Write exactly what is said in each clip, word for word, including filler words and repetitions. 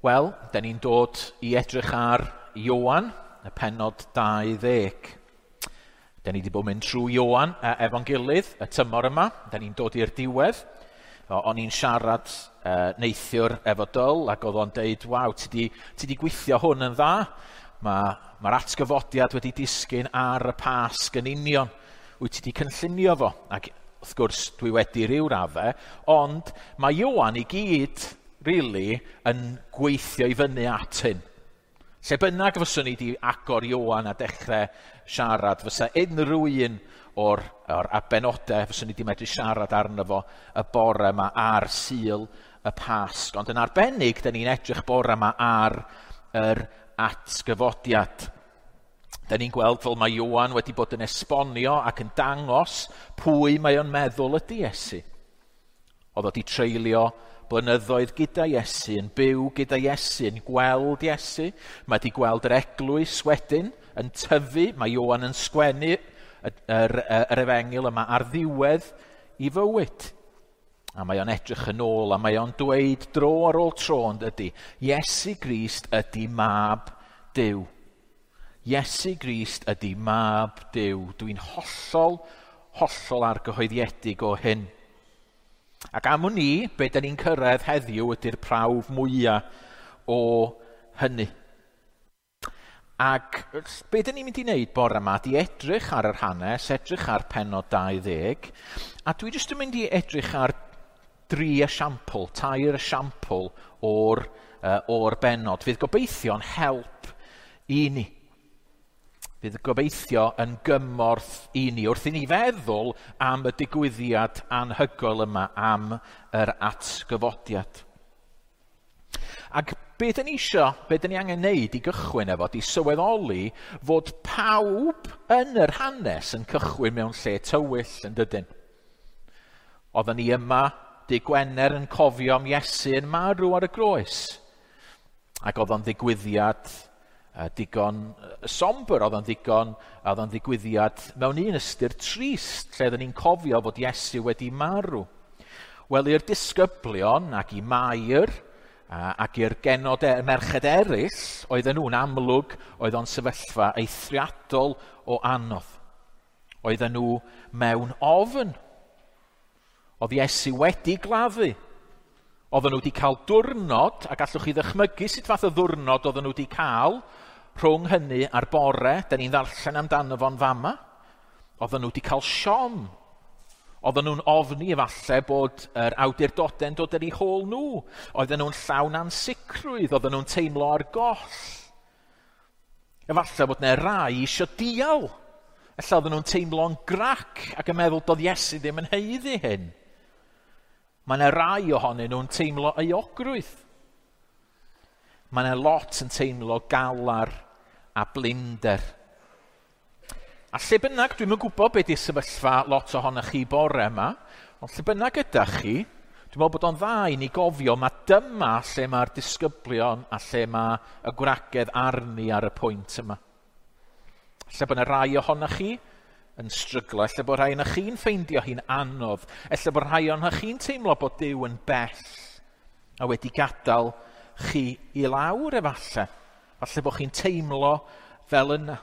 Wel, da ni'n dod i edrych ar Ioan, y pennod dau ddeg. Da ni wedi bod mynd trwy Ioan efo'n gilydd y tymor yma. Da ni'n dod i'r diwedd. O'n i'n siarad uh, neithiwr efo Dyl ac oedd o'n deud, waw, ti di, ti di gweithio hwn yn dda. Mae'r ma atgyfodiad wedi disgyn ar y Pasg yn union. Wyt ti di cynllunio fo? Ac wrth gwrs dwi wedi ryw raddau, ond mae Ioan i gyd really yn gweithio i fyny at hyn. Lle bynnag fyswn i wedi agor Ioan a dechrau siarad, fysa unrhyw un o'r, o'r abenodau fyswn i wedi medru siarad arno fo y bore yma ar Sul y Pasg. Ond yn arbennig, da ni'n edrych bore yma ar yr atgyfodiad. Da ni'n gweld fel mae Ioan wedi bod yn esbonio ac yn dangos pwy mae o'n meddwl ydy Iesu. Oedd o wedi treulio blynyddoedd gyda Iesu, yn byw gyda Iesu, yn gweld Iesu. Mae wedi gweld yr eglwys wedyn yn tyfu. Mae Ioan yn sgwennu yr, yr, yr efengyl yma ar ddiwedd i fywyd. A mae o'n edrych yn ôl a mae o'n dweud dro ar ôl tro yn dydy, Iesu Grist ydy mab Duw. Iesu Grist ydy mab Duw. Dwi'n hollol, hollol argyhoeddiedig o hyn. Ac am wn i, be da ni'n cyrraedd heddiw ydy'r prawf mwyaf o hynny. Ac be da ni'n mynd i wneud bore yma ydy edrych ar yr hanes, edrych ar pennod dau ddeg, a dwi jyst yn mynd i edrych ar dri esiampl, tair esiampl o'r, uh, o'r bennod. Fydd gobeithio'n help i ni. Fydd gobeithio yn gymorth i ni wrth i ni feddwl am y digwyddiad anhygoel yma, am yr atgyfodiad. Ac be dyn ni isio, be dyn ni angen neud i gychwyn efo, di sylweddoli fod pawb yn yr hanes yn cychwyn mewn lle tywyll yn dydyn. Oedden ni yma dy Gwener yn cofio am Iesu yn marw ar y groes. Ac oedd o'n ddigwyddiad digon somber, oedd o'n ddigon, oedd o'n ddigwyddiad mewn un ystyr trist, lle oedden ni'n cofio fod Iesu wedi marw. Wel, i'r disgyblion ac i Mair ac i'r genod e, merched eraill, oedden nhw'n amlwg, oedd o'n sefyllfa eithriadol o anodd. Oedden nhw mewn ofn. Oedd Iesu wedi gladdu. Oedden nhw wedi cael diwrnod, a gallwch chi ddychmygu sut fath o ddiwrnod oedden nhw wedi cael rhwng hynny a'r bore, da ni'n ddarllen amdano fo'n fama. Oedden nhw wedi cael siom. Oedden nhw'n ofni efallai bod yr awdurdodau'n dod ar eu hôl nhw. Oedden nhw'n llawn ansicrwydd, oedden nhw'n teimlo ar goll. Efallai bod yna rai eisiau dial. Ella oedden nhw'n teimlo'n grac ac yn meddwl doedd Iesu ddim yn haeddu hyn. Mae yna rai ohonyn nhw'n teimlo euogrwydd. Mae yna lot yn teimlo galar a blinder. A lle bynnag, dwi'm yn gwybod beth ydy'r sefyllfa lot ohonoch chi bore yma, ond lle bynnag ydych chi, dwi'n meddwl bod o'n dda i ni gofio mae dyma lle mae'r disgyblion a lle mae y gwragedd arni ar y pwynt yma. Lle bod yna rai ohonoch chi yn stryglo, lle bod rhai ohonoch chi'n ffeindio hi'n anodd, lle bod rhai ohonoch chi'n teimlo bod Duw yn bell a wedi gadael chi i lawr efallai. Falle bod chi'n teimlo fel yna.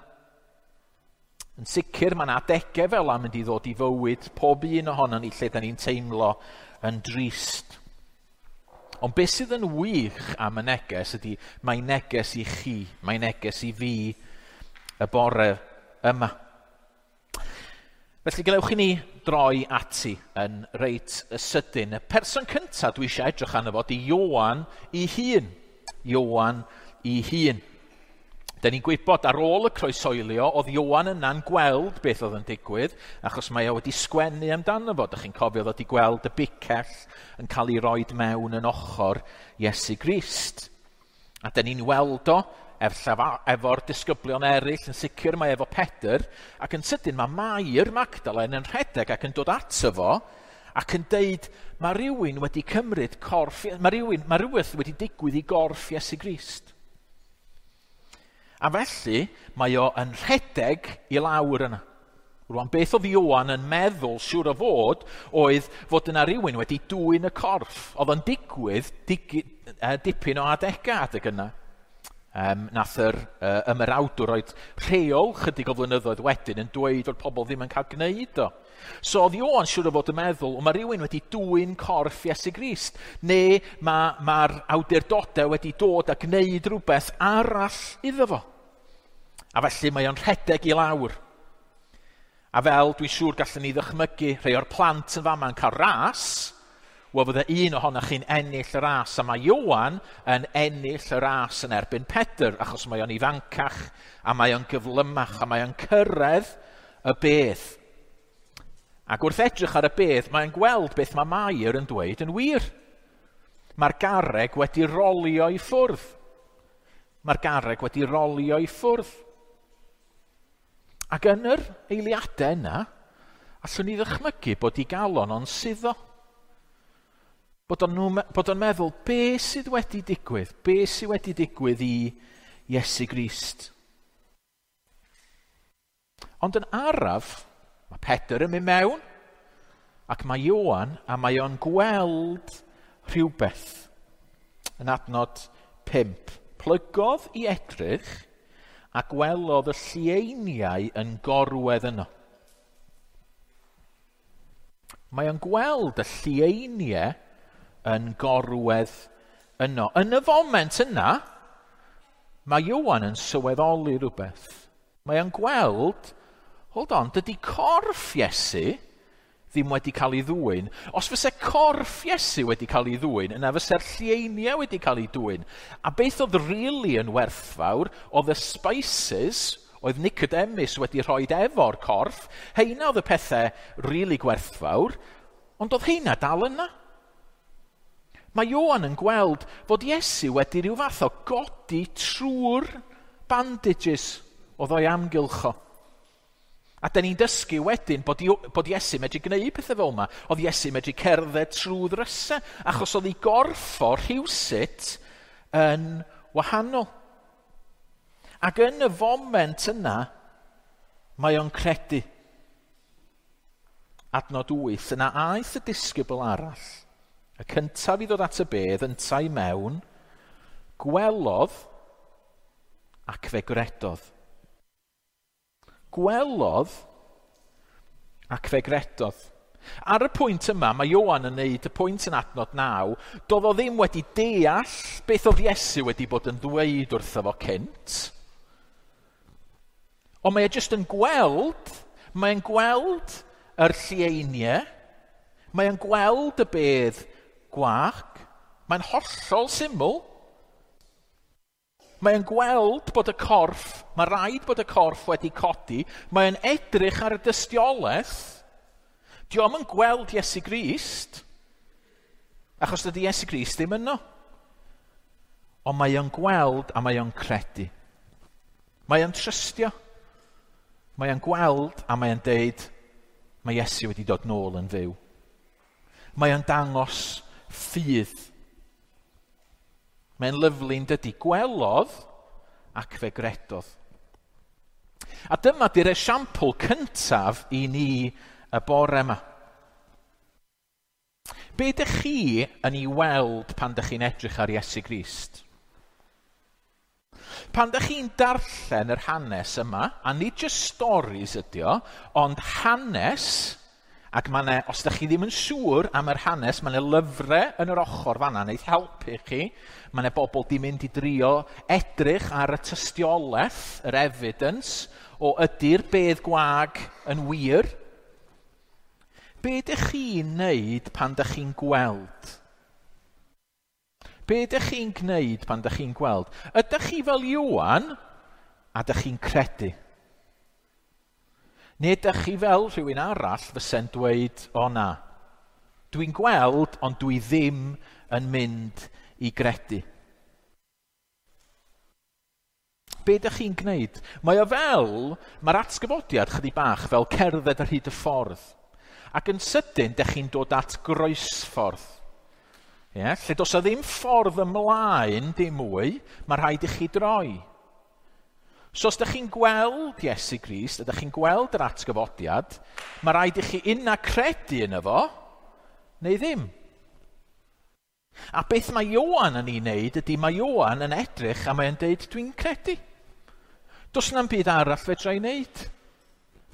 Yn sicr, mae yna adegau fel yna mynd i ddod i fywyd pob un ohonon ni lle da ni'n teimlo yn drist. Ond beth sydd yn wych am y neges ydy, mae neges i chi, mae neges i fi y bore yma. Felly, gadewch i ni droi ati yn reit sydyn. Y person cyntaf dwi eisiau edrych arno fo ydy Ioan ei hun. Ioan ei hun. Da ni'n gwybod ar ôl y croeshoelio, oedd Ioan yna'n gweld beth oedd yn digwydd, achos mae o wedi sgwennu amdano fo. Dych chi'n cofio oedd wedi gweld y bicell yn cael ei roed mewn yn ochr Iesu Grist. A da ni'n weld o efo'r disgyblion eraill, yn sicr mae efo Pedr, ac yn sydyn mae Mair Magdalen yn rhedeg ac yn dod ato fo, ac yn deud, mae rhywun wedi cymryd corff, mae rhywun, mae rhywbeth wedi digwydd i gorff Iesu Grist. A felly, mae o yn rhedeg i lawr yna. Rwan, beth oedd Ioan yn meddwl, siŵr o fod, oedd fod yna rhywun wedi dwyn y corff. Oedd o'n digwydd dig, uh, dipyn o adegau adeg yna. Um, nath yr uh, ymerawdwr roed rheol chydig o flynyddoedd wedyn yn dweud fod pobl ddim yn cael gwneud o. So oedd Ioan siŵr o fod yn meddwl, o mae rhywun wedi dwyn corff Iesu Grist, neu mae'r ma awdurdodau wedi dod a gwneud rhywbeth arall iddo fo. A felly mae o'n rhedeg i lawr. A fel dwi'n siŵr gallwn ni ddychmygu rhai o'r plant yn fama yn cael ras, wel fydde un ohonoch chi'n ennill y ras, a mae Ioan yn ennill y ras yn erbyn Pedr, achos mae o'n ifancach, a mae o'n gyflymach, a mae o'n cyrraedd y bedd. Ac wrth edrych ar y bedd, mae'n gweld beth mae Mair yn dweud yn wir. Mae'r garreg wedi rolio i ffwrdd. Mae'r garreg wedi rolio i ffwrdd. Ac yn yr eiliadau yna, allwn ni ddychmygu bod ei galon o'n suddo. Bod o'n, nhw, bod o'n meddwl, be sydd wedi digwydd? Be sydd wedi digwydd i Iesu Grist? Ond yn araf, mae Pedr yn mynd mewn, ac mae Ioan, a mae o'n gweld rhywbeth. Yn adnod pump. Plygodd i edrych, a gwelodd y llieiniau yn gorwedd yno. Mae o'n gweld y llieiniau yn gorwedd yno. Yn y foment yna, mae Ioan yn sylweddoli rhywbeth. Mae o'n gweld, hold on, dydy corff Iesu ddim wedi cael ei ddwyn. Os fyse corff Iesu wedi cael ei ddwyn, yna fyse'r llieiniau wedi cael ei dwyn. A beth oedd really yn werthfawr, oedd y spices oedd Nicodemus wedi rhoi efo'r corff, heina oedd y pethau really gwerthfawr, ond oedd heina dal yna. Mae Ioan yn gweld fod Iesu wedi rhyw fath o godi trwy'r bandages oedd o'i amgylch o. A da ni'n dysgu wedyn bod, bod Iesu medru gwneud pethau fel yma. Oedd Iesu medru cerdded trwy ddrysau, achos oedd ei gorff o rhywsut yn wahanol. Ac yn y foment yna, mae o'n credu. Adnod wyth, yna aeth y disgybl arall, y cyntaf i ddod at y bedd, yntau mewn, gwelodd ac fe gredodd. Gwelodd ac fe gredodd. Ar y pwynt yma, mae Ioan yn neud y pwynt yn adnod naw, doedd o ddim wedi deall beth oedd Iesu wedi bod yn ddweud wrtho fo cynt. Ond mae e jyst yn gweld, mae'n gweld yr llieiniau, mae'n gweld y bedd gwag, mae'n hollol syml. Mae'n gweld bod y corff, mae rhaid bod y corff wedi codi, mae'n edrych ar y dystiolaeth. Dio'm yn gweld Iesu Grist, achos dydy Iesu Grist ddim yno. Ond mae o'n gweld a mae o'n credu. Mae o'n trystio. Mae o'n gweld a mae o'n deud, mae Iesu wedi dod nôl yn fyw. Mae o'n dangos ffydd. Mae'n lyfli'n dydy. Gwelodd ac fe gredodd. A dyma di'r esiampl cyntaf i ni y bore yma. Be ydych chi yn ei weld pan ydych chi'n edrych ar Iesu Grist? Pan ydych chi'n darllen yr hanes yma, a nid just stories ydi o, ond hanes, ac mae 'na, os ydych chi ddim yn siŵr am yr hanes, mae 'na lyfrau yn yr ochr fan'na wneith helpu chi. Mae 'na bobl di mynd i drio edrych ar y tystiolaeth, yr evidence, o ydy'r bedd gwag yn wir. Be ydych chi'n neud pan ydych chi'n gweld? Be ydych chi'n gwneud pan ydych chi'n gweld? Ydych chi fel Ioan a ydych chi'n credu? Neu ydych chi fel rhywun arall fyse'n dweud, o na, dwi'n gweld, ond dwi ddim yn mynd i gredu. Be ydych chi'n gwneud? Mae o fel, mae'r atgyfodiad chydig bach fel cerdded ar hyd y ffordd. Ac yn sydyn, dych chi'n dod at groesffordd. Ie? Lle does 'na ddim ffordd ymlaen, dim mwy, mae rhaid i chi droi. So os ydych chi'n gweld Iesu Grist, ydych chi'n gweld yr atgyfodiad, mae rhaid i chi unna credu yno fo, neu ddim. A beth mae Ioan yn ei wneud ydy mae Ioan yn edrych a mae'n deud, dwi'n credu. Does na'm byd arall fedra i wneud.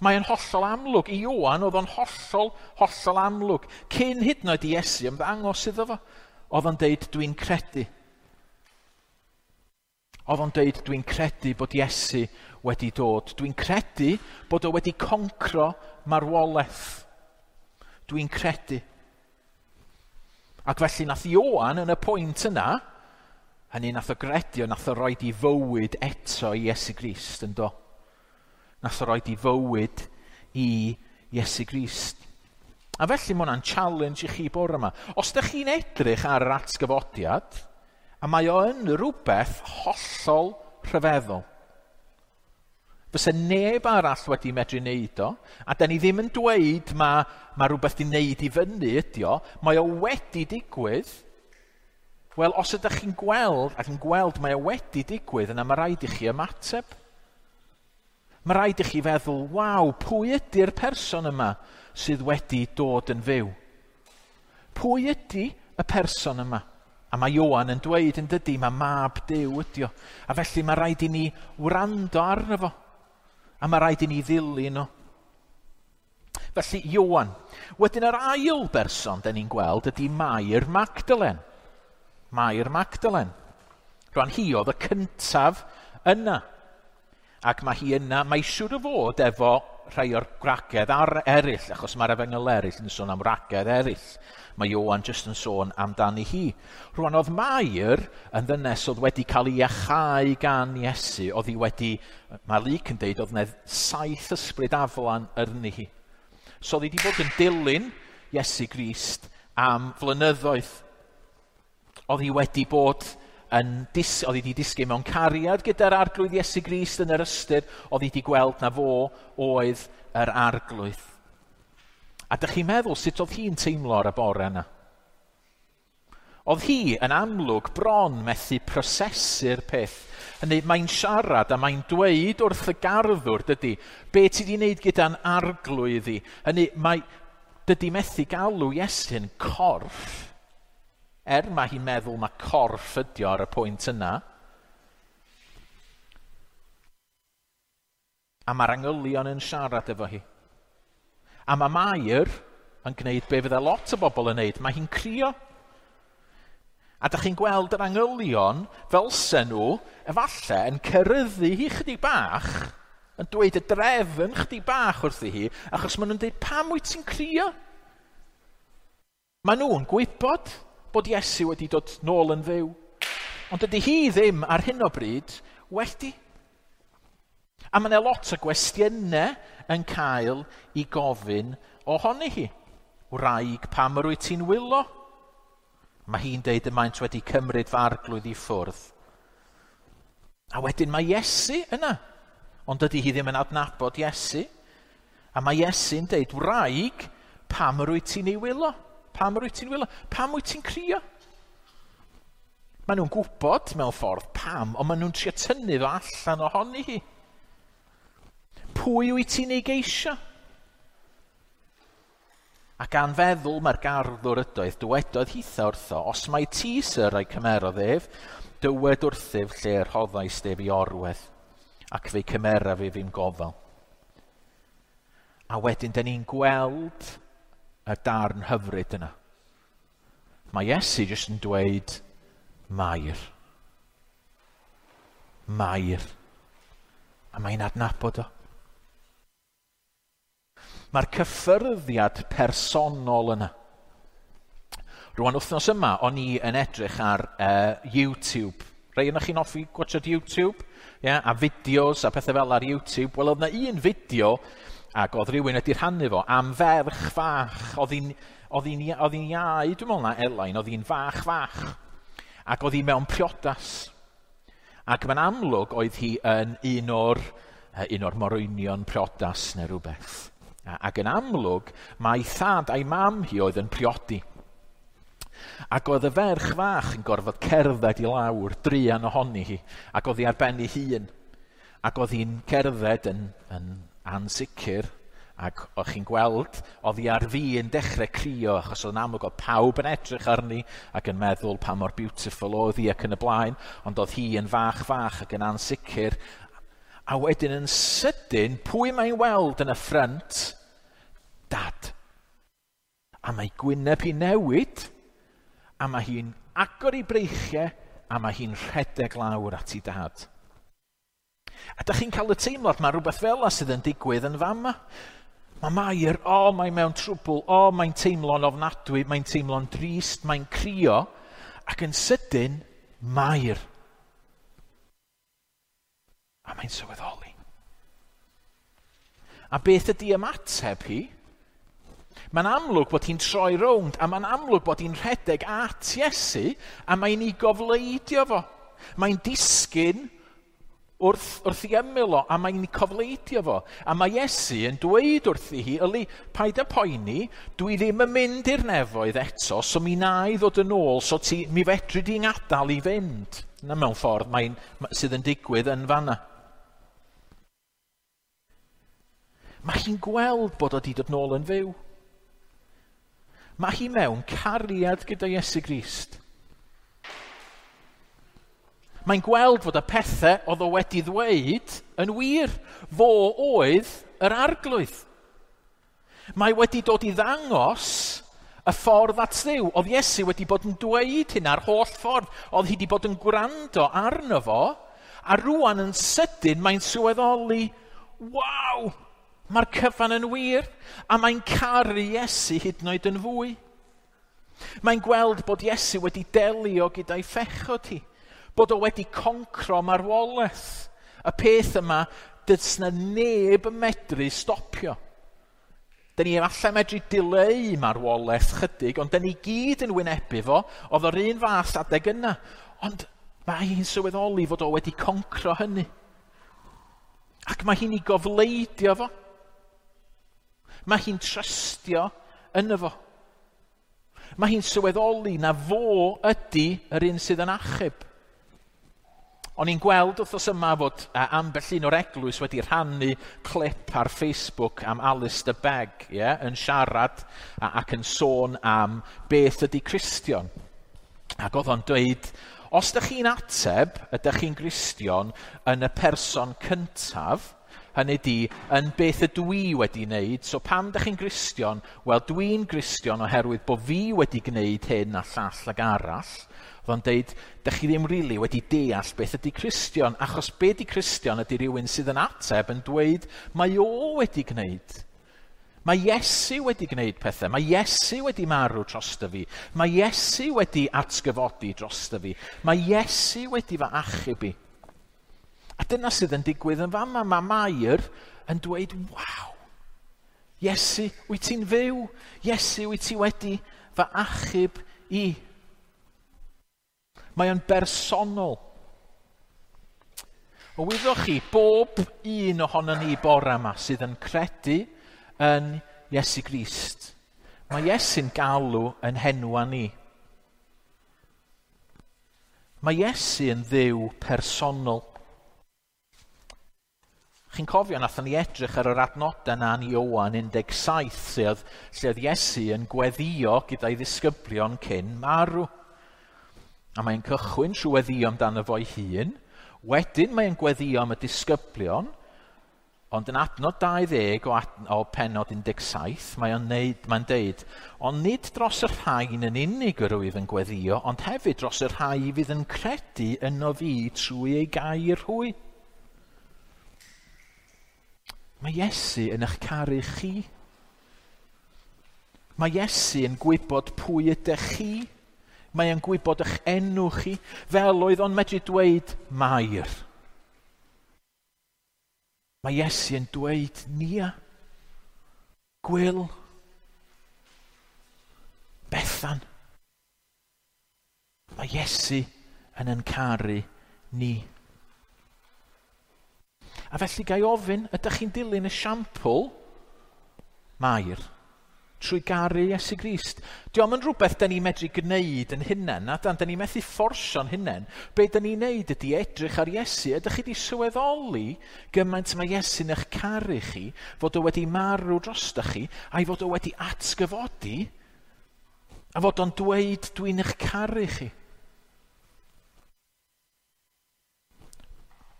Mae'n hollol amlwg. I Ioan oedd o'n hollol, hollol amlwg. Cyn hyd yn oed i Iesu ymddangos iddo fo, oedd o'n deud, dwi'n credu. Oedd o'n deud, dwi'n credu bod Iesu wedi dod. Dwi'n credu bod o wedi concro marwolaeth. Dwi'n credu. Ac felly nath Ioan yn y pwynt yna, hynny nath o gredu, nath o roed i fywyd eto i Iesu Grist, yn do. Nath o roed i fywyd i Iesu Grist. A felly mae hwnna'n challenge i chi bore yma. Os ydych chi'n edrych ar yr atgyfodiad, a mae o yn rhywbeth hollol rhyfeddol. Fysa neb arall wedi medru wneud o, a da ni ddim yn dweud mae, mae rhywbeth di wneud i fyny ydi o, mae o wedi digwydd. Wel, os ydych chi'n gweld, ac yn gweld mae o wedi digwydd, yna mae rhaid i chi ymateb. Mae rhaid i chi feddwl, waw, pwy ydy'r person yma sydd wedi dod yn fyw? Pwy ydy y person yma? A mae Ioan yn dweud yn dydy, mae mab Duw ydi o. A felly mae rhaid i ni wrando arno fo. A mae rhaid i ni ddilyn o. Felly, Ioan. Wedyn yr ail berson da ni'n gweld ydy Mair Magdalen. Mair Magdalen. Rwan hi oedd y cyntaf yna. Ac mae hi yna, mae siŵr o fod efo rhai o'r gwragedd ar eraill, achos mae'r efengyl eraill yn sôn am wragedd eraill. Mae Ioan jyst yn sôn amdani hi. Rwan oedd Mair yn ddynes oedd wedi cael ei iachau gan Iesu, oedd hi wedi, mae Luc yn deud, oedd yna saith ysbryd aflan arni hi. So oedd hi wedi bod yn dilyn Iesu Grist am flynyddoedd. Oedd hi wedi bod yn dis, oedd hi wedi disgyn mewn cariad gyda'r arglwydd Iesu Grist yn yr ystyr, oedd hi wedi gweld na fo oedd yr arglwydd. A dych chi'n meddwl sut oedd hi'n teimlo ar y bore yna? Oedd hi yn amlwg bron methu prosesu'r peth. Hynny, mae'n siarad a mae'n dweud wrth y garddwr, dydy, be ti wedi wneud gyda'n arglwydd i? Hynny, mae, dydy methu galw Iesu'n corff. Er mae hi'n meddwl mae corff ydi o ar y pwynt yna. A mae'r angylion yn siarad efo hi. A mae Mair yn gwneud be fydde lot o bobl yn gwneud. Mae hi'n crio. A dych chi'n gweld yr angylion fel se nhw, efallai, yn ceryddu hi chydig bach, yn dweud y drefn chydig bach wrthi hi, achos maen nhw'n dweud, pam wyt ti'n crio? Maen nhw'n gwybod bod Iesu wedi dod nôl yn fyw. Ond dydy hi ddim ar hyn o bryd wedi. A mae yna lot o gwestiynau yn cael ei gofyn ohoni hi. Wraig, pam yr wyt ti'n wylo? Mae hi'n deud y maent wedi cymryd fy arglwydd i ffwrdd. A wedyn mae Iesu yna. Ond dydy hi ddim yn adnabod Iesu. A mae Iesu'n deud, wraig, pam yr wyt ti'n ei wylo? Pam yr wyt ti'n wylo? Pam wyt ti'n crio? Maen nhw'n gwybod mewn ffordd pam, ond maen nhw'n trio tynnu fo allan ohoni hi. Pwy wyt ti'n ei geisio? A gan feddwl mae'r garddwr ydoedd, dywedodd hitha wrtho, os mai ti, syr, a'i cymerodd ef, dywed wrthyf lle rhoddais ef i orwedd, ac fe'i cymeraf ef i'm gofal. A wedyn, da ni'n gweld y darn hyfryd yna. Mae Iesu jyst yn dweud, Mair. Mair. A mae'n adnabod o. Mae'r cyffyrddiad personol yna. Rwan wythnos yma, o'n i yn edrych ar uh, YouTube. Rhai yna chi'n hoffi gwatchad YouTube? Yeah, a fideos a pethau fel ar YouTube. Wel, oedd yna un fideo, ac oedd rhywun wedi rhannu fo, am ferch fach. Oedd hi'n oedd hi'n oedd hi'n iau, dwi'n meddwl na Elain, oedd hi'n fach fach. Ac oedd hi mewn priodas. Ac mae'n amlwg oedd hi yn un o'r, un o'r morwynion priodas neu rhywbeth. Ac yn amlwg, mae thad a'i mam hi oedd yn priodi. Ac oedd y ferch fach yn gorfod cerdded i lawr, druan ohoni hi, ac oedd hi ar ben ei hun. Ac oedd hi'n cerdded yn, yn ansicr, Ac o'ch chi'n gweld, oedd hi ar fin dechrau crio, achos oedd yn amlwg oedd pawb yn edrych arni ac yn meddwl pa mor beautiful oedd hi ac yn y blaen, ond oedd hi yn fach fach ac yn ansicr. A wedyn yn sydyn, pwy mae'n weld yn y ffrynt? Dad. A mae gwyneb hi newid, a mae hi'n agor ei breichiau, a mae hi'n rhedeg lawr at ei dad. A da chi'n cael y teimlad, mae rhywbeth fel 'na sydd yn digwydd yn fama. Mae Mair, o, oh, mae mewn trwbl, o, oh, mae'n teimlo'n ofnadwy, mae'n teimlo'n drist, mae'n crio, ac yn sydyn, Mair. A mae'n sylweddoli. A beth ydy ymateb hi? Mae'n amlwg bod hi'n troi rownd, a mae'n amlwg bod hi'n rhedeg at Iesu, a mae'n ei gofleidio fo. Mae'n disgyn wrth, wrth ei ymyl o, a mae'n cofleidio fo. A mae Iesu yn dweud wrthi hi, yli, paid â poeni, dwi ddim yn mynd i'r nefoedd eto, so mi na i ddod yn ôl, so ti, mi fedri di'n gadael i fynd. Na mewn ffordd mae'n, sydd yn digwydd yn fanna. Mae hi'n gweld bod o di dod nôl yn fyw. Mae hi mewn cariad gyda Iesu Grist. Mae'n gweld fod y pethau oedd o wedi ddweud yn wir. Fo oedd yr arglwydd. Mae wedi dod i ddangos y ffordd at Dduw. Oedd Iesu wedi bod yn dweud hyn ar holl ffordd. Oedd hi wedi bod yn gwrando arno fo. A rwan yn sydyn mae'n sylweddoli, waw, mae'r cyfan yn wir. A mae'n caru Iesu hyd yn oed yn fwy. Mae'n gweld bod Iesu wedi delio gyda'i phechod hi. Bod o wedi concro marwolaeth. Y peth yma, does na neb yn medru stopio. Dyn ni efallai medru dileu marwolaeth chydig, ond dyn ni gyd yn wynebu fo, oedd o'r un fath adeg yna. Ond mae hi'n sylweddoli fod o wedi concro hynny. Ac mae hi'n ei gofleidio fo. Mae hi'n trystio yno fo. Mae hi'n sylweddoli na fo ydy yr un sydd yn achub. O'n i'n gweld wythnos yma fod ambell un o'r eglwys wedi rhannu clip ar Facebook am Alistair Begg, yeah, yn siarad ac yn sôn am beth ydy Cristion. Ac oedd o'n dweud, os ydych chi'n ateb, ydych chi'n Gristion yn y person cyntaf, hynny di, yn beth ydw i wedi wneud, so pam ydych chi'n Gristion? Wel, dwi'n Gristion oherwydd bod fi wedi gwneud hyn a llall ag arall. Oedd o'n deud, dych chi ddim rili really wedi deall beth ydy Cristion, achos be ydy Cristion ydy rhywun sydd yn ateb yn dweud, mae o wedi gwneud. Mae Iesu wedi gwneud pethau, mae Iesu wedi marw drosto fi, mae Iesu wedi atgyfodi drosto fi, mae Iesu wedi fy achub i. A dyna sydd yn digwydd yn fama, mae Mair yn dweud, waw, Iesu, wyt ti'n fyw? Iesu, wyt ti wedi fy achub i? Mae o'n bersonol. O wyddoch chi, bob un ohono ni bore yma sydd yn credu yn Iesu Grist, mae Iesu'n galw yn henwa ni. Mae Iesu yn Dduw personol. Chi'n cofio, nathon ni edrych ar yr adnodau yna yn Ioan un deg saith, lle oedd, lle oedd Iesu yn gweddio gyda'i ddisgyblion cyn marw. A mae'n cychwyn trwy weddio amdano fo'i hun. Wedyn mae'n gweddio am y disgyblion, ond yn adnod dau ddeg o, ad, o pennod un deg saith, mae'n mae'n deud, ond nid dros y rhain yn unig yr wyf yn gweddio, ond hefyd dros y rhai fydd yn credu yno fi trwy ei gair hwy. Mae Iesu yn eich caru chi. Mae Iesu yn gwybod pwy ydych chi. Mae yn gwybod eich enw chi, fel oedd o'n medru dweud Mair. Mae Iesu yn dweud Nia, Gwyl, Bethan. Mae Iesu yn yn caru ni. A felly gai ofyn, ydych chi'n dilyn esiampl Mair? Trwy garu Iesu Grist. Dio'm yn rhywbeth da ni'n medru gwneud yn hunain, na dan, da ni'n methu fforsio'n hunain. Be da ni'n neud ydy edrych ar Iesu. Ydych chi wedi sylweddoli gymaint mae Iesu'n eich caru chi, fod o wedi marw drostoch chi, a'i fod o wedi atgyfodi, a fod o'n dweud dwi'n eich caru chi.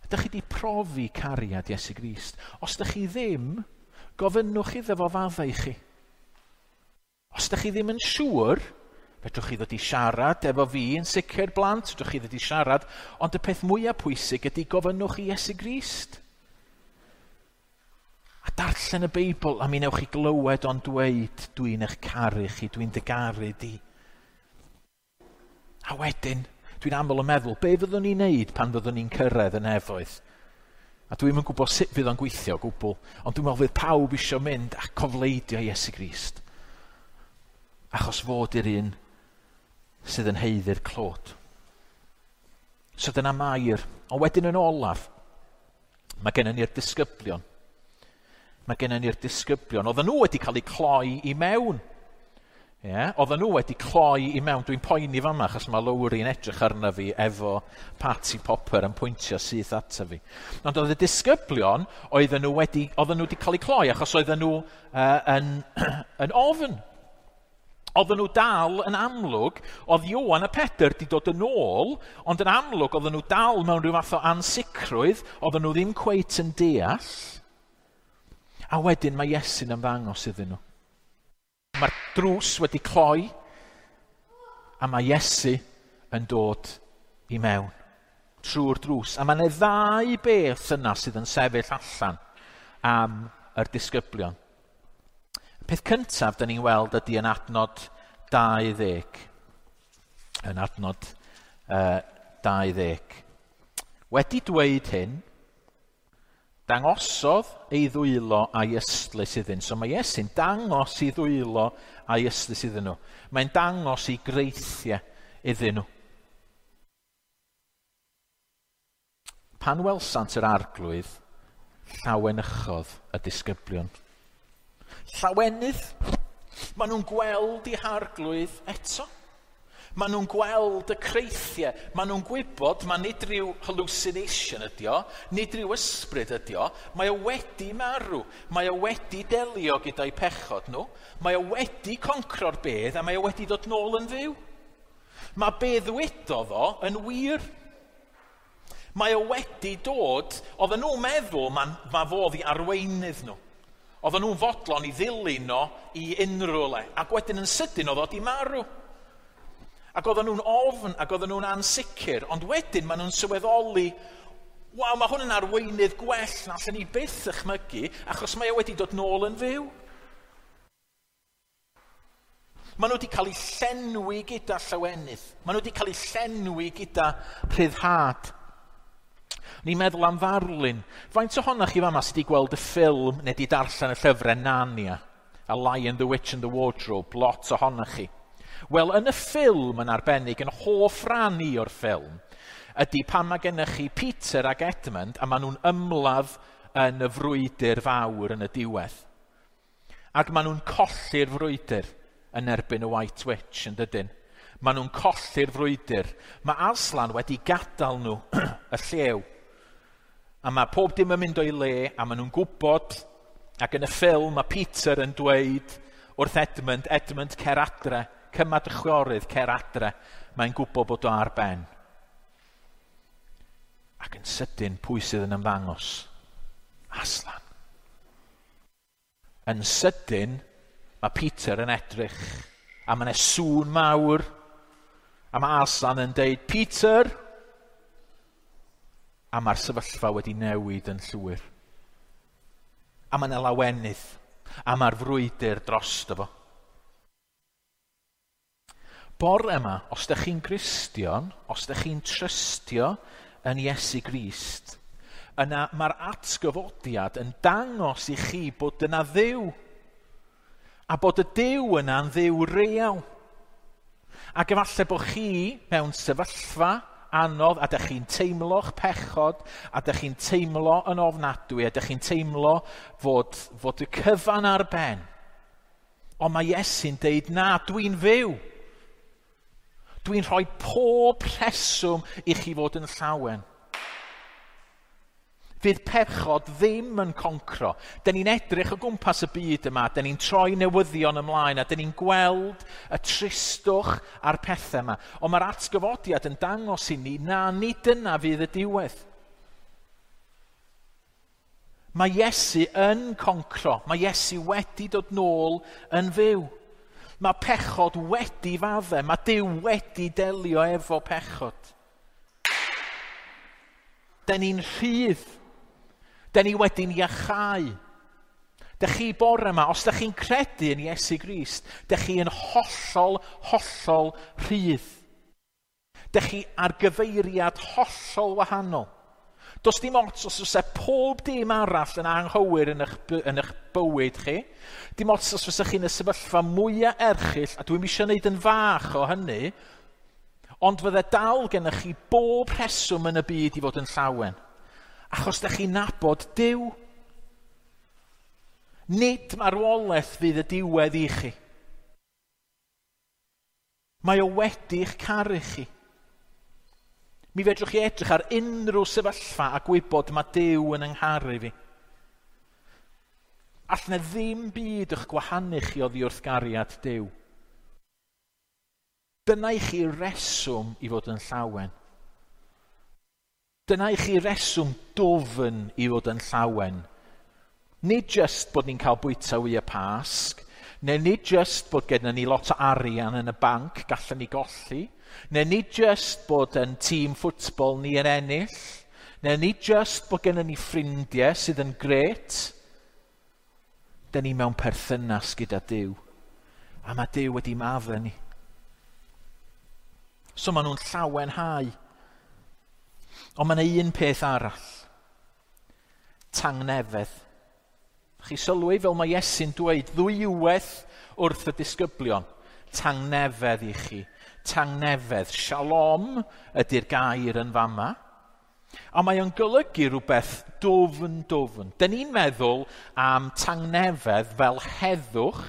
Ydych chi wedi profi cariad Iesu Grist? Os ydych chi ddim, gofynnwch iddo fo faddau i chi. Os ydych chi ddim yn siŵr, fedrwch chi ddod i siarad efo fi yn sicr blant, fedrwch chi ddod i siarad, ond y peth mwyaf pwysig ydy gofynnwch i Iesu Grist. A darllen y Beibl, a mi newch chi glywed o'n dweud, dwi'n eich caru chi, dwi'n dy garu di. A wedyn, dwi'n aml yn meddwl, be fyddwn ni'n neud pan fyddwn ni'n cyrraedd y nefoedd? A dwi'm yn gwybod sut fydd o'n gweithio o gwbl, ond dwi'n meddwl fydd pawb isio mynd a cofleidio Iesu Grist. Achos fod i'r un sydd yn haeddu'r clod. So dyna Mair. Ond wedyn yn olaf, mae gennym ni'r disgyblion. Mae gennym ni'r disgyblion. Oedden nhw wedi cael eu cloi i mewn. Yeah, oedden nhw wedi cloi i mewn. Dwi'n poeni fama, achos mae Lowry'n edrych arna fi efo Party Popper yn pwyntio syth ata fi. Ond oedd y disgyblion, oedden nhw wedi, oedden nhw wedi cael eu cloi, achos oedden nhw uh, yn, yn ofn. Oedden nhw dal yn amlwg, oedd Ioan a Pedr wedi dod yn ôl, ond yn amlwg oedden nhw dal mewn rhyw fath o ansicrwydd, oedden nhw ddim cweit yn deall. A wedyn mae Iesu'n ymddangos iddyn nhw. Mae'r drws wedi cloi, a mae Iesu yn dod i mewn trwy'r drws. A mae yna ddau beth yna sydd yn sefyll allan am yr disgyblion. Peth cyntaf da ni'n weld ydy yn adnod dau ddeg. Yn adnod uh, dau ddeg. Wedi dweud hyn, dangosodd ei ddwylo a'i ystlys iddyn. So mae Iesu'n dangos ei ddwylo a'i ystlys iddyn nhw. Mae'n dangos ei greithiau iddyn nhw. Pan welsant yr arglwydd, llawenychodd y disgyblion. Llawenydd. Maen nhw'n gweld eu harglwydd eto. Maen nhw'n gweld y creithiau. Maen nhw'n gwybod, mae nid rhyw hallucination ydi o, nid rhyw ysbryd ydi o. Mae o wedi marw. Mae o wedi delio gyda'i pechod nhw. Mae o wedi concro'r bedd a mae o wedi dod nôl yn fyw. Mae be ddwedodd o yn wir. Mae o wedi dod, oedden nhw'n meddwl mae, mae fo i arweinydd nhw. Oedden nhw'n fodlon i ddilyn o i unrhyw le. Ac wedyn yn sydyn oedd o di marw. Ac oedden nhw'n ofn, ac oedden nhw'n ansicr. Ond wedyn maen nhw'n sylweddoli, waw, mae hwn yn arweinydd gwell na allan ni byth ychmygu, achos mae o wedi dod nôl yn fyw. Maen nhw wedi cael eu llenwi gyda llawenydd. Maen nhw wedi cael eu llenwi gyda rhyddhad. Ni'n meddwl am ddarlun. Faint ohonoch chi fama sydd wedi gweld y ffilm neu wedi darllen y llyfrau Narnia, A Lion, the Witch and the Wardrobe, lot ohonoch chi. Wel, yn y ffilm yn arbennig, yn hoff ran i o'r ffilm, ydy pan mae gennych chi Peter ac Edmund a maen nhw'n ymladd yn y frwydr fawr yn y diwedd. Ac maen nhw'n colli'r frwydr yn erbyn y White Witch, yn dydyn. Maen nhw'n colli'r frwydr. Mae Aslan wedi gadael nhw y llew. A mae pob dim yn mynd o'i le, a maen nhw'n gwybod, ac yn y ffilm mae Peter yn dweud wrth Edmund, Edmund, cer adre, cyma dy chwiorydd, cer adre. Mae'n gwybod bod o ar ben. Ac yn sydyn, pwy sydd yn ymddangos? Aslan. Yn sydyn, mae Peter yn edrych, a mae yna sŵn mawr, a mae Aslan yn deud, Peter! A mae'r sefyllfa wedi newid yn llwyr. A mae yna lawenydd, a mae'r frwydr drosto fo. Bore yma, os ydych chi'n Gristion, os ydych chi'n trystio yn Iesu Grist, yna mae'r atgyfodiad yn dangos i chi bod yna Dduw, a bod y Duw yna'n Dduw real. Ac efallai bod chi mewn sefyllfa anodd, a dych chi'n teimlo'ch pechod, a dych chi'n teimlo yn ofnadwy, a dych chi'n teimlo fod, fod y cyfan ar ben. Ond mae Iesu'n deud, na, dwi'n fyw. Dwi'n rhoi pob rheswm i chi fod yn llawen. Fydd pechod ddim yn concro. Dyn ni'n edrych o gwmpas y byd yma, dyn ni'n troi newyddion ymlaen, a dyn ni'n gweld y tristwch a'r pethau yma. Ond mae'r atgyfodiad yn dangos i ni, na, nid dyna fydd y diwedd. Mae Iesu yn concro. Mae Iesu wedi dod nôl yn fyw. Mae pechod wedi faddau. Mae Duw wedi delio efo pechod. Dyn ni'n rhydd. Dyn ni wedi'n iachau. Dych chi bore yma, os dych chi'n credu yn Iesu Grist, dych chi yn hollol, hollol rhydd. Dych chi ar gyfeiriad hollol wahanol. Does dim ots os oes e pob dim arall yn anghywir yn eich, yn eich bywyd chi. Dim ots os fysa chi'n y sefyllfa mwyaf erchyll, a dwi'm eisiau gwneud yn fach o hynny, ond fydde dal gennych chi bob rheswm yn y byd i fod yn llawen. Achos dych chi'n nabod Duw. Nid marwolaeth fydd y diwedd i chi. Mae o wedi'ch caru chi. Mi fedrwch chi edrych ar unrhyw sefyllfa a gwybod mae Duw yn yngharu fi. All na ddim byd eich gwahanu chi oddi wrth gariad Duw. Dyna i chi reswm i fod yn llawen. Dyna i chi reswm dwfn i fod yn llawen. Nid just bod ni'n cael bwyta wy y Pasg, neu nid just bod gennym ni lot o arian yn y banc gallen ni golli, neu nid just bod yn tîm ffwtbol ni yn ennill, neu nid just bod gennym ni ffrindiau sydd yn grêt. Dyn ni mewn perthynas gyda Duw, a mae Duw wedi maddau ni. So maen nhw'n llawenhau. Ond mae yna un peth arall. Tangnefedd. Chi sylwi fel mae Iesu'n dweud ddwywaith wrth y disgyblion. Tangnefedd i chi. Tangnefedd. Shalom ydy'r gair yn fama. A mae o'n golygu rhywbeth dwfn, dwfn. Dyn ni'n meddwl am tangnefedd fel heddwch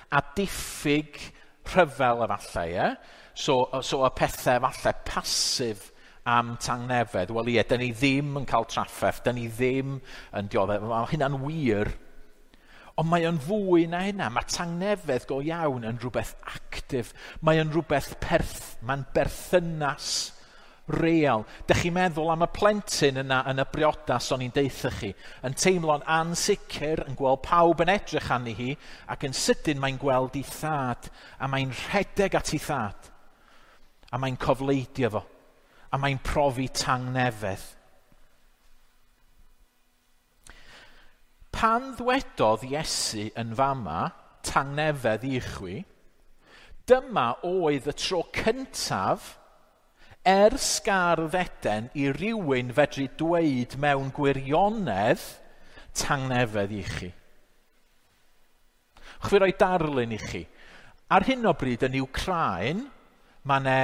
a diffyg rhyfel efallai. Ie? So, so y pethau efallai pasif am tangnefedd. Wel ie, dyn ni ddim yn cael trafferth, dyn ni ddim yn dioddef. Mae hynna'n wir. Ond mae o'n fwy na hynna. Mae tangnefedd go iawn yn rhywbeth actif. Mae o'n rhywbeth perth, mae'n berthynas real. Dych chi'n meddwl am y plentyn yna yn y briodas o'n i'n deutha chi, yn teimlo'n ansicr, yn gweld pawb yn edrych arni hi, ac yn sydyn mae'n gweld ei thad, a mae'n rhedeg at ei thad, a mae'n cofleidio fo, a mae'n profi tangnefedd. Pan ddwedodd Iesu yn fama, tangnefedd i chwi, dyma oedd y tro cyntaf ers gardd Eden i rywun fedru dweud mewn gwirionedd tangnefedd i chi. Chwi roi darlun i chi. Ar hyn o bryd yn Wcráin, mae 'na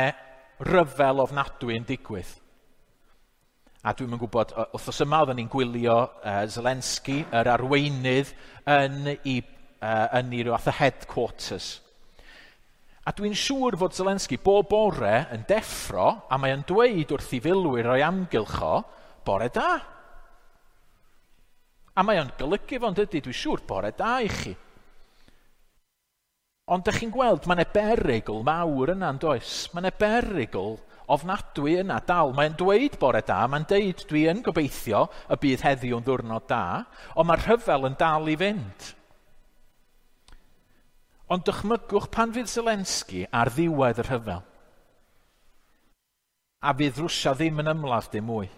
ryfel ofnadwy yn digwydd. A dwi'm yn gwybod, wythnos yma oedden ni'n gwylio uh, Zelensky, yr arweinydd, yn ei, uh, yn ei ryw fath o headquarters. A dwi'n siŵr fod Zelensky bob bore yn deffro, a mae o'n dweud wrth i filwyr o'i amgylch o, bore da. A mae o'n golygu fo'n dydy, dwi'n siŵr, bore da i chi. Ond dych chi'n gweld, mae 'na berygl mawr yna, yn does? Mae 'na berygl ofnadwy yna dal. Mae'n dweud bore da, mae'n deud dwi yn gobeithio y bydd heddiw'n ddiwrnod da, ond mae'r rhyfel yn dal i fynd. Ond dychmygwch pan fydd Zelensky ar ddiwedd y rhyfel, a fydd Rwsia ddim yn ymladd dim mwy,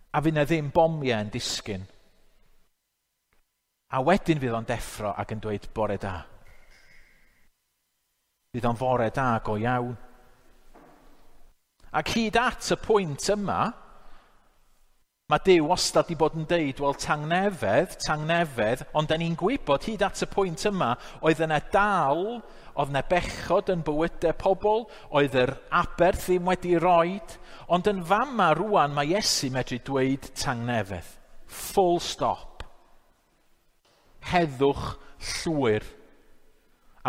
a fydd 'na ddim bomiau yn disgyn, a wedyn fydd o'n deffro ac yn dweud bore da. Fydd o'n fore da go iawn. Ac hyd at y pwynt yma, mae Duw wastad wedi bod yn deud, wel, tangnefedd, tangnefedd, ond da ni'n gwybod hyd at y pwynt yma, oedd yna dal, oedd yna bechod yn bywydau pobl, oedd yr aberth ddim wedi roed, ond yn fama rwan mae Iesu medru dweud tangnefedd. Full stop. Heddwch llwyr.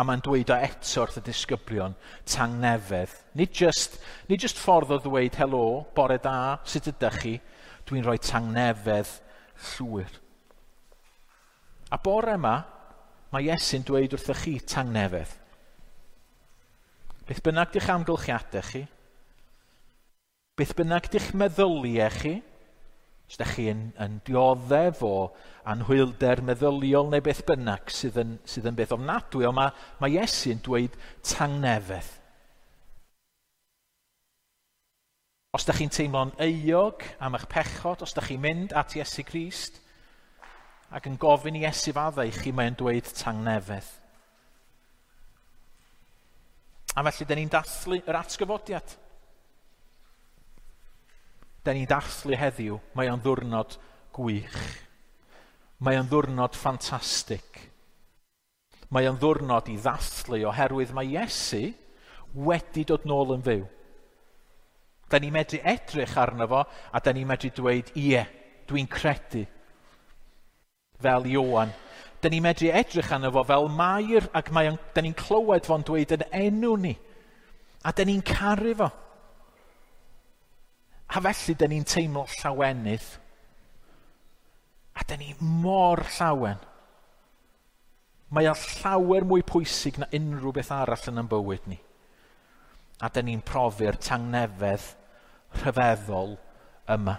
A mae'n dweud o eto wrth y disgyblion, tangnefedd. Nid just, nid just ffordd o ddweud helo, bore da, sut ydych chi? Dwi'n rhoi tangnefedd llwyr. A bore yma, mae Iesu'n dweud wrthych chi tangnefedd. Beth bynnag di'ch amgylchiadau chi, beth bynnag di'ch meddyliau chi, os ydych chi yn, yn dioddef o anhwylder meddyliol neu beth bynnag sydd yn, sydd yn beth ofnadwy, ond mae, mae Iesu'n dweud tangnefedd. Os ydych chi'n teimlo'n euog am eich pechod, os ydych chi'n mynd at Iesu Grist ac yn gofyn i Iesu faddau i chi, mae'n dweud tangnefedd. A felly, dyn ni'n dathlu yr atgyfodiad. Da ni'n dathlu heddiw, mae o'n ddwrnod gwych. Mae o'n ddwrnod ffantastig. Mae o'n ddwrnod i ddathlu oherwydd mae Iesu wedi dod nôl yn fyw. Da ni'n medru edrych arno fo a da ni'n medru dweud, ie, dwi'n credu. Fel Ioan. Da ni'n medru edrych arno fo fel Mair ac mae o'n, da ni'n clywed fo'n dweud yn enw ni. A da ni'n caru fo. A felly, da ni'n teimlo llawenydd. A da ni mor llawen. Mae o llawer mwy pwysig na unrhyw beth arall yn ein bywyd ni. A da ni'n profi'r tangnefedd rhyfeddol yma.